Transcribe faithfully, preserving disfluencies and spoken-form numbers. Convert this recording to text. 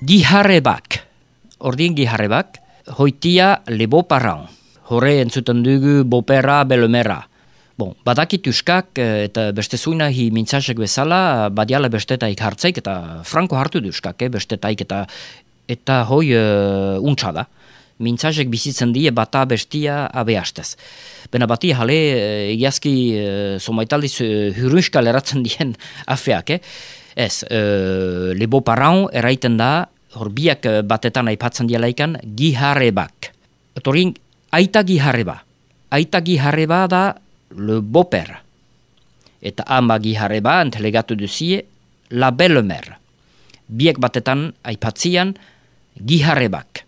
Giharrebak, ordin giharrebak, hoitia le beau-parent. Hore entzuten dugu bopera, belomera. Bon, badakit euskak eta beste zuina hi mintzasek bezala, badiala bestetaik hartzaik eta franko hartu du euskak, eh, bestetaik eta eta hoi uh, untsa da. Mintzasek bizitzen die bata bestia abeastez. Bena bati jale egiazki uh, somaitaldiz uh, hurunskal eratzen dien afeak, eh? Ez, uh, le beau-parent eraiten da, hor biak batetan aipatzen dialaikan, giharrebak. Etorin, aita giharreba. Aita giharreba da le beau-père. Eta ama giharreba entelegatu duzie la belle-mère. Biek batetan aipatzian giharrebak.